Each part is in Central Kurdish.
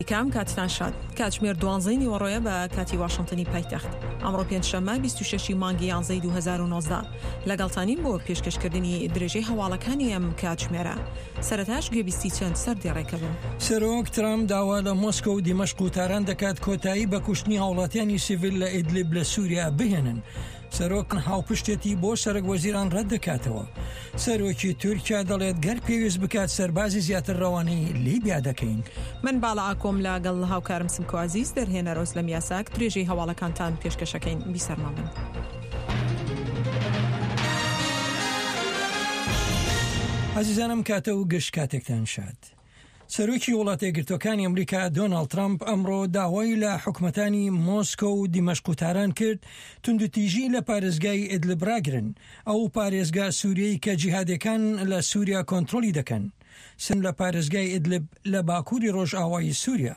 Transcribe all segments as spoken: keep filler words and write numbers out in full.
کام کاتتان شاد. کاتژمێر دوانزەی نیوەڕۆیە بە کاتی واشنتنی پایتەخت. ئەمڕۆ پێنجشەممە بیست و شەش ی مانگی یانزەی دوو هەزار و نۆزدە لەگەڵتانین بۆ پێشکەشکردنی درێژەی هەواڵەکانی ئەم کاتژمێرە. سەرەتاش گوێبیستی چەند سەردێڕێکە بن. سەرۆک ترامپ داوا لە مۆسکۆ و دیمەشق و تاران دەکات کۆتایی بە کوشتنی هاوڵاتیانی سیڤیل لە ئیدلیب لە سووریا بهێنن. سەرۆک هاوپشتێتی بۆ سەرۆک وەزیران ڕەت دەکاتەوە. سەرۆکی تورکیا دەڵێت گەر پێویست بکات سەربازی زیاتر ڕەوانەی لیبیا دەکەین. من باڵا ئاکۆم لەگەڵ هاوکارم سمکۆ عەزیز، دەرهێنەر ئۆزلەم یاساک، درێژەی هەواڵەکانتان پێشکەشەکەین. بیسەرمان بن. عزیزانم کاتە و گشت کاتێکتان شاد. سەرۆکی وڵاتە یەکگرتووەکانی ئەمریکا دۆناڵد ترامپ ئەمڕۆ داوای لە حکومەتانی مۆسکۆ و دیمەشق و تاران کرد توندوتیژی لە پارێزگای ئیدلب ڕاگرن، ئەو پارێزگا سووریەی کە جیهادەکان لە سووریا کۆنترۆڵی دەکەن. سن لە پارێزگای ئیدلب لە باکووری ڕۆژئاوای سووریا.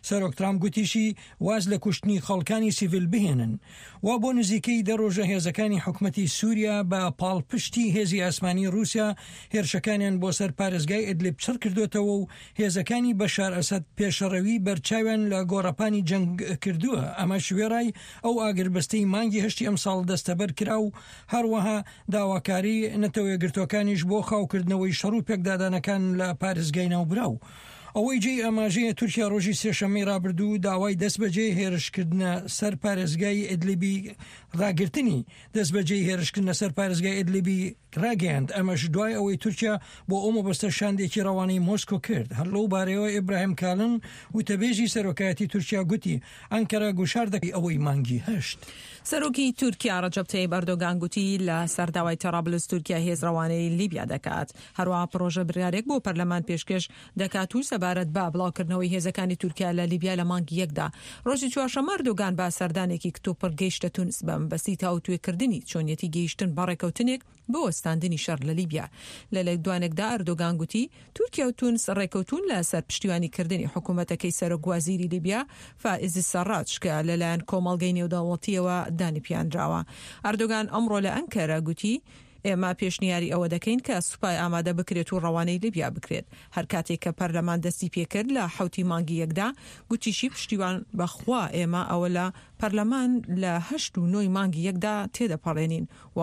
سەرۆک ترامپ گوتیشی واز لە کوشتنی خەڵکانی سیڤیل بهێنن. وا بۆ نزیکەی دە ڕۆژە هێزەکانی حکومەتی سووریا بە پاڵپشتی هێزی ئاسمانی رووسیا هێرشەکانیان بۆ سەر پارێزگای ئیدلب چڕ کردوێتەوە و هێزەکانی بەشار ئەسەد پێشەڕەوی بەرچاویان لە گۆڕەپانی جەنگ کردووە. ئەمەش وێڕای ئەو ئاگربەستەی مانگی هەشتی ئەمساڵ دەستەبەر کرا و هەروەها داواکاری نەتەوە یەکگرتووەکانیش بۆ خاوکردنەوەی شەڕ و پێکدادانەکان لە پارێزگای ناوبراو. ئەوەی جێی ئاماژەیە تورکیا ڕۆژی سێشەممەی ڕابردوو داوای دەستبەجێ هێرشکردنە سەر پارێزگای ئیدلیبی ڕاگرتنی دەستبەجێ هێرشکردنە سەر پارێزگای ئیدلیبی ڕاگەیاند. ئەمەش دوای ئەوەی تورکیا بۆ ئەو مەبەستە شاندێکی ڕەوانەی مۆسکۆ کرد. هەر لەو بارەیەوە ئیبراهیم کالن وتەبێژی سەرۆکایەتی تورکیا گوتی ئەنکەرە گوشار دەکەی ئەوەی مانگی هەشت. سەرۆکی تورکیا ڕەجەب تەیب ئەردۆگان گوتی لە سەرداوای تەرابلس تورکیا هێز ڕەوانەی لیبیا دەکات. هەروەها پرۆژە بڕیارێک بۆ پەرلەمان پێشکەش دەکات و سەبارەت بە بڵاوکردنەوەی هێزەکانی تورکیا لە لیبیا لە مانگی یەکدا. ڕۆژی چوارشەممە ئەردۆگان بە سەردانێکی کتوپڕ گەیشتە تونس بە مەبەستی تاوتوێکردنی چۆنیەتی گەیشتن بە ڕێکەوتنێک بۆ وەستاندنی شەڕ لە لیبیا. لە لێکدوانێکدا ئەردۆگان گوتی تورکیا و تونس ڕێکەوتون لە سەر پشتیوانیکردنی حکوومەتەکەی سەرۆک وەزیری لیبیا فائز سەڕاج کە لەلایەن کۆمەڵگەی نێودەوڵەتیەوە دانیپیاندراوە. ئەردۆگان ئەمڕۆ لە ئەنکەرە گوتی ئێمە پێشنیاری ئەوە دەکەین کە سوپای ئامادە بکرێت و ڕەوانەی لیبیا بکرێت. هەر کاتێک کە پەرلەمان دەستی پێکرد لە حەوتی مانگی یەکدا، گوتیشی پشتیوان بەخوا ئێمە ئەوە لە پەرلەمان لە هەشت و نۆی مانگی یەکدا تێدەپەڕێنین و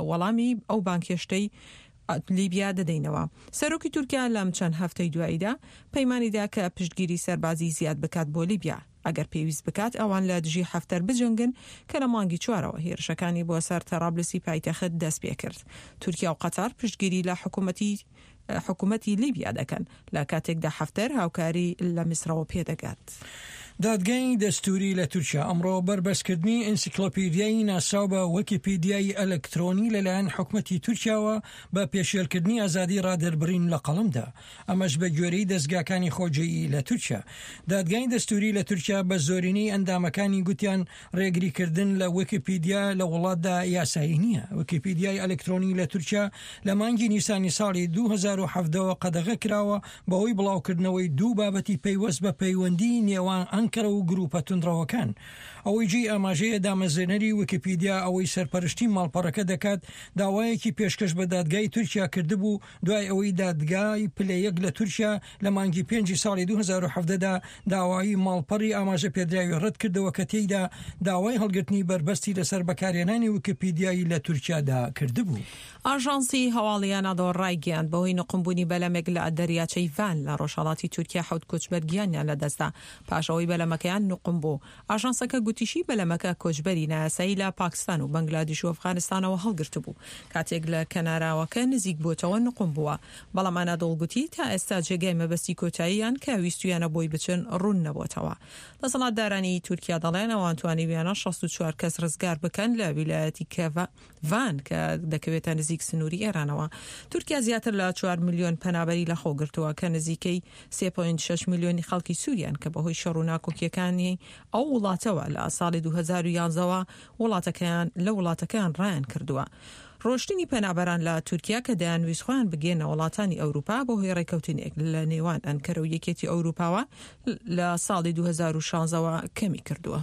وەڵامی ئەو بانکێشتەی لیبیا دەدەینەوە. سەرۆکی تورکیا لەم چەند هەفتەی دواییدا پەیمانیدا کە پشتگیری سەربازی زیاد بکات بۆ لیبیا. ئەگەر پێویست بکات ئەوان لە دژی حەفتەر بجەنگن کە لە مانگی چوارەوە هێرشەکانی بۆ سەر تەرابلسی پایتەخت دەست پێکرد. تورکیا و قەتەر پشتگیری لە حکوومەتی حکوومەتی لیبیا دەکەن لە کاتێکدا حەفتەر هاوکاری لە میسرەوە پێدەگات. دادگای دەستوری لە تورکیا ئەمڕۆ بەربەستکردنی ئینسیکلۆپیدیای ناسراو بە ویکیپیدیای ئەلکترۆنی لەلایەن حکومەتی تورکیاوە بە پێشێلکردنی ئازادی ڕادەربڕین لە قەڵەمدا، ئەمەش بە گوێرەی دەستگاکانی خۆجێیی لە تورکیا. دادگای دەستوری لە تورکیا بە زۆرینەی ئەندامەکانی گوتیان ڕێگریکردن لە ویکیپیدیا لە وڵاتدا یاسایی نییە. ویکیپیدیای ئەلکترۆنی لە تورکیا لە مانگی نیسانی ساڵی دوو هەزار و حەڤدە قەدەغە کراوە بەهۆی بڵاوکردنەوەی دوو بابەتی پەیوەست بە پەیوەندی نێوان ئەنکەرە و گروپە توندڕەوەکان. ئەوەی جێی ئاماژەیە دامەزرێنەری ویکیپیدیا ئەوەی سەرپەرشتی ماڵپەڕەکە دەکات داوایەکی پێشکەش بە دادگای تورکیا کردبوو دوای ئەوەی دادگای پلە یەک لە تورکیا لە مانگی پێنجی ساڵی دوو هەزار و حەڤدە دا داوایی ماڵپەڕی ئاماژە پێدراوی ڕەت کردەوە کە تێیدا داوای هەڵگرتنی بەربەستی لەسەر بەکارهێنانی ویکیپیدیایی لە تورکیادا کردبوو. ئاژانسی هەواڵی ئەنادۆڵ ڕایگەیاند بەهۆی نقومبوونی بەلەمێک لە دەریاچەی ڤان لە ڕۆژهەڵاتی تورکیا حەوت کۆچبەر گیانیان لەدەستدا پاش ئەوەی بەلەمەکەیان نقوم بوو. ئاژانسەکە گوتیشی بەلەمەکە کۆچبەری نایاسایی لە پاکستان و بەنگلادیش و ئەفغانستانەوە هەڵگرتبوو کاتێک لە کەناراوەکە نزیک بۆتەوە نقوم بووە. بەڵام ئەنادۆڵ گوتی تا ئێستا جێگای مەبەستی کۆتاییان کە ویستویانە بۆی بچن ڕوون نەبۆتەوە. دەسەڵاتدارانی تورکیا دەڵێن ئەوان توانیویانە شەست و چوار کەس ڕزگار بکەن لە ویلایەتی ڤان کە دەکەوێتە نزیک سنووری ئێرانەوە. تورکیا زیاتر لە چوار ملیۆن پەنابەری لەخۆ گرتووە کە نزیکەی سێ پۆینت شەش ملیۆنی خەڵکی سووریان کە بەهۆی شەڕ و ناکۆکیەکانی ئەو وڵاتەوە لە ساڵی دوو هەزار و یازدە وڵاتەکەیان لە وڵاتەکەیان ڕایان کردووە. ڕۆشتنی پەنابەران لە تورکیا کە دەیانویست خۆیان بگەنە وڵاتانی ئەوروپا بەهۆی ڕێکەوتنێک لە نێوان ئەنکەرە و یەکێتی ئەوروپاوە لە ساڵی دوو هەزار و شازدە کەمی کردووە.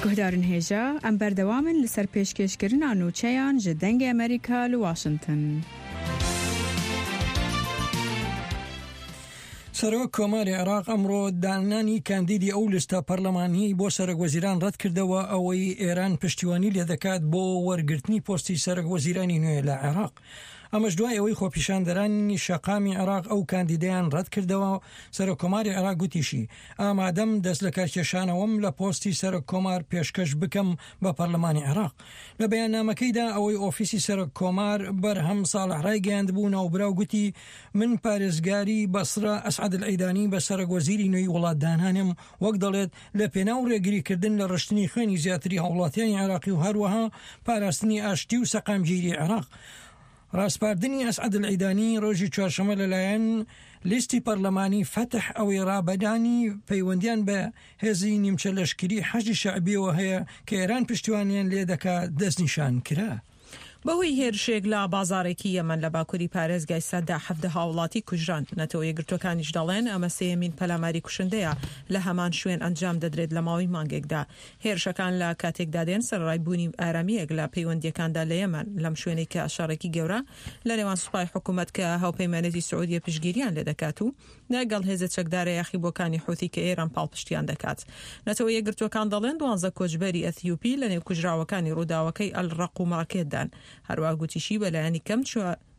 گوهدارن هێژا ئەم بەردەوامن لەسەر پێشکێشکردنا نوچەیان ji دەنگê ئەمریکا لە واشنگتن. سەرۆک کۆماری عێراق ئەمڕۆ دانانی کاندیدی ئەو لیستە پەرلەمانیی بۆ سەرۆک وەزیران ڕەتکردەوە ئەوەی ئێران پشتیوانی لێدەکات بۆ وەرگرتنی پۆستی سەرۆک وەزیرانی نوێ لە عێراق. ئەمەش دوای ئەوەی خۆپیشاندەرانی شەقامی عێراق ئەو کاندیدەیان ڕەتکردەوە. سەرۆک کۆماری عێراق گوتیشی ئامادەم دەست لە کارکێشانەوەم لە پۆستی سەرۆک کۆمار پێشکەش بکەم بە پەرلەمانی عێراق. لە بەیاننامەکەیدا ئەوەی ئۆفیسی سەرۆک کۆمار بەرهەم ساڵح ڕایگەیاندبوو، ناوبراو گوتی من پارێزگاری بەسرە ئەسعەد العیدانی بە سەرۆک وەزیری نوێی وڵات دانانم، وەک دەڵێت لە پێناو ڕێگریکردن لە ڕشتنی خوێنی زیاتری هاوڵاتیانی عێراقی و هەروەها پاراستنی ئاشتی و سەقامگیری عێراق. ڕاسپاردنی ئەسعەد العیدانی ڕۆژی چوارشەممە لەلایەن لیستی پەرلەمانی فەتح ئەوەی ڕابەدانی پەیوەندیان بە هێزی نیمچە لەشکری حەشدی شەعبیەوە هەیە کە ئێران پشتیوانیان لێ دەکات دەستنیشان کرا. بەهۆی هێرشێک لە بازارێکی یەمەن لە باکووری پارێزگای سەدا حەفدە هاوڵاتی کوژران. نەتەوە یەکگرتووەکانیش دەڵێن ئەمە سێیەمین پەلاماری کوشندەیە لە هەمان شوێن ئەنجام دەدرێت لە ماوەی مانگێکدا. هێرشەکان لە کاتێکدا دێن سەرەڕای بوونی ئارامییەک لە پەیوەندییەکاندا لە یەمەن، لەم شوێنەی کە شەڕێکی گەورە لە نێوان سوپای حکوومەت کە هاوپەیمانێتی سعودیە پشتگیریان لێ دەکات و لەگەڵ هێزە چەکدارە یاخیبووەکانی حوثی کە ئێران پاڵپشتیان دەکات. نەتەوە یەکگرتووەکان دەڵێن دوانزە کۆچبەری ئەثیوپی لە نێو کوژراوەکانی ڕووداوەکەی ئەلڕەق و مارکێتدان. هەروەها گوتیشی بەلایەنی کەم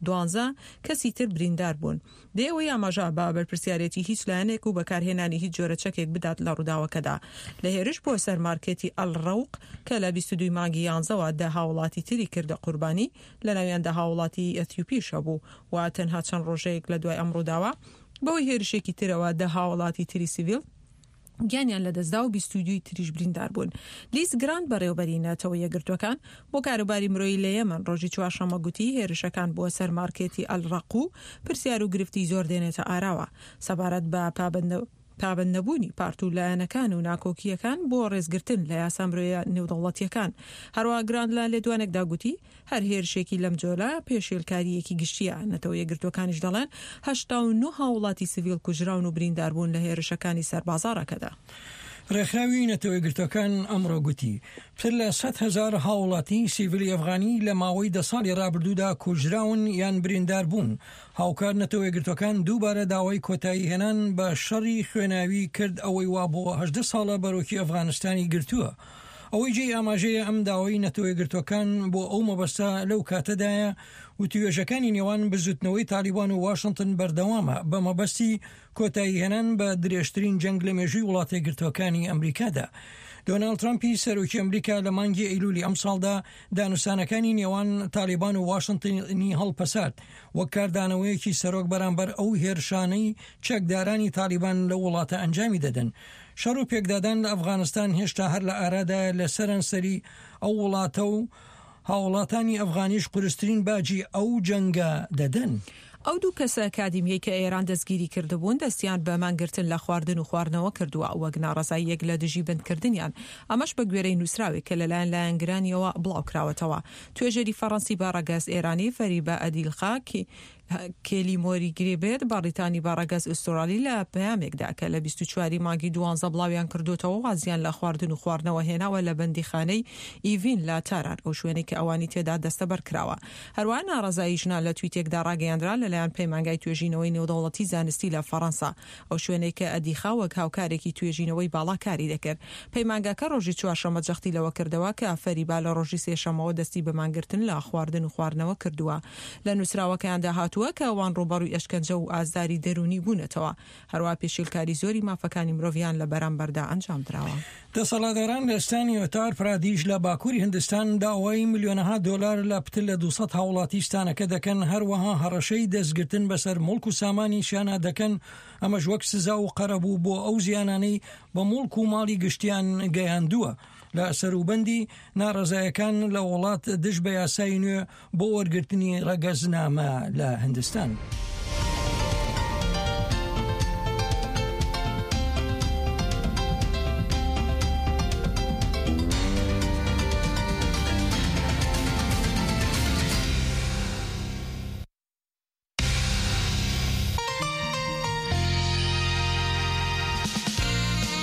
دوانزە کەسی تر بریندار بوون. بێ ئەوەی ئاماژە بە بەرپرسیارێتی هیچ لایەنێک و بەکارهێنانی هیچ جۆرە چەکێک بدات لە ڕووداوەکەدا. لە هێرش بۆ سەر مارکێتی ئەلڕەوق کە لە بیست و دوو مانگی یانزەوە دە هاوڵاتی تری کردە قوربانی، لە ناویان دە هاوڵاتی ئەثیوپیش هەبوو و تەنها چەند ڕۆژەیەک لە دوای ئەم ڕووداوە بەهۆی هێرشێکی ترەوە دە هاوڵاتی تری سیڤیل گیانیان لەدەستدا و بیست و دووی تریش بریندار بوون. لیز گراند بەڕێوەبەری نەتەوە یەکگرتووەکان بۆ کاروباری مرۆیی لە یەمەن ڕۆژی چوارشەممە گوتی هێرشەکان بۆ سەر مارکێتی ئەلڕەق و پرسیار و گرفتی زۆر دێنێتە ئاراوە سەبارەت بە پابەند نەبوونی پارت و لایەنەکان و ناکۆکییەکان بۆ ڕێزگرتن لە یاسا مرۆیە نێودەوڵەتیەکان. هەروەها گراند لە لێدوانێکدا گوتی هەر هێرشێکی لەم جۆرە پێشێلکارییەکی گشتیە. نەتەوە یەکگرتووەکانیش دەڵێن هەشتا و نۆ هاوڵاتی سیڤیل کوژراون و بریندار بوون لە هێرشەکانی سەر بازاڕەکەدا. ڕێکخراوی نەتەوە یەکگرتووەکان ئەمڕۆ گوتی پتر لە سەد هەزار هاوڵاتی سیڤیلی ئەفغانی لە ماوەی دە ساڵی ڕابردوودا کوژراون یان بریندار بوون. هاوکار نەتەوە یەکگرتووەکان دووبارە داوای کۆتایی هێنان بە شەڕی خوێناوی کرد ئەوەی وا بۆ هەژدە ساڵە بەرۆکی ئەفغانستانی گرتووە. ئەوەی جێی ئاماژەیە ئەم داوای نەتەوە یەکگرتووەکان بۆ ئەو مەبەستە لەو کاتەدایە وتوێژەکانی نێوان بزوتنەوەی تالیبان و واشنگتن بەردەوامە بە مەبەستی کۆتایی هێنان بە درێژترین جەنگ لە مێژووی وڵاتە یەکگرتووەکانی ئەمریکادا. دۆناڵد ترامپی سەرۆکی ئەمریکا لە مانگی ئەیلولی ئەمساڵدا دانوستانەکانی نێوان تالیبان و واشنگتنی هەڵپەسارد وەک کاردانەوەیەکی سەرۆک بەرامبەر ئەو هێرشانەی چەکدارانی تالیبان لە وڵاتە ئەنجامی دەدەن. شەڕ و پێکدادان لە ئەفغانستان هێشتا هەر لە ئارادایە لە سەرانسەری ئەو وڵاتە و هاوڵاتانی ئەفغانیش قورسترین باجی ئەو جەنگە دەدەن. ئەو دوو کەسە ئەکادیمیەی کە ئێران دەستگیری کردبوون دەستیان بە مانگرتن لە خواردن و خواردنەوە کردووە وەک ناڕەزاییەک لە دژی بەندکردنیان، ئەمەش بە گوێرەی نووسراوێک کە لەلایەن لایەنگرانیەوە بڵاوکراوەتەوە. توێژەری فەڕەنسی بە ڕەگەز ئێرانی فەریبە ئەدیلخا کێلی مۆری گرێبێت بەڕیتانی بە ڕەگەز ئوسترالی لە پەیامێکدا کە لە بیست و چوار مانگی دوانزە بڵاویان کردوتەوە وازیان لە خواردن و خواردنەوە هێناوە لە بەندیخانەی ئیڤین لە تاران، ئەو شوێنەی کە ئەوانی تێدا دەستەبەر کراوە. هەروەها ناڕەزایی ژنان لە تویتێکدا ڕاگەیاندرا لەلایەن پەیمانگای توێژینەوەی نێودەوڵەتی زانستی لە فەڕەنسا، ئەو شوێنەی کە ئەدیخا وەک هاوکارێکی توێژینەوەی باڵا کاری دەکرد. پەیمانگاکە ڕۆژی چوارشەممە جەختی لەوە کردەوە کە فەریبا لە ڕۆژی سێشەمەوە دەستی بە مانگرتن لە خواردن و خواردنەوە کردووە. لە نووسراوەکەیاندا هاتووە کە ئەوان ڕووبەڕووی ئەشکەنجە و ئازاری دەروونی بوونەتەوە، هەروەها پێشێلکاری زۆری مافەکانی مرۆڤیان لە بەرامبەردا ئەنجام دراوە. دەسەڵاتداران لە ستانی ئۆتار پرادیش لە باکووری هندستان داوای ملیۆنەها دۆلار لە پتر لە دووسەد هاوڵاتی ستانەکە دەکەن، هەروەها هەڕەشەی دەستگرتن بەسەر موڵک و سامانیشیانە دەکەن، ئەمەش وەک سزا و قەرەبوو بۆ ئەو زیانانەی بە موڵک و ماڵی گشتیان گەیاندووە. لە سەروبەندی ناڕەزایەکان لە وڵات دژ بە یاسای نوێ بۆ وەرگرتنی ڕەگەزنامە لە هندستان.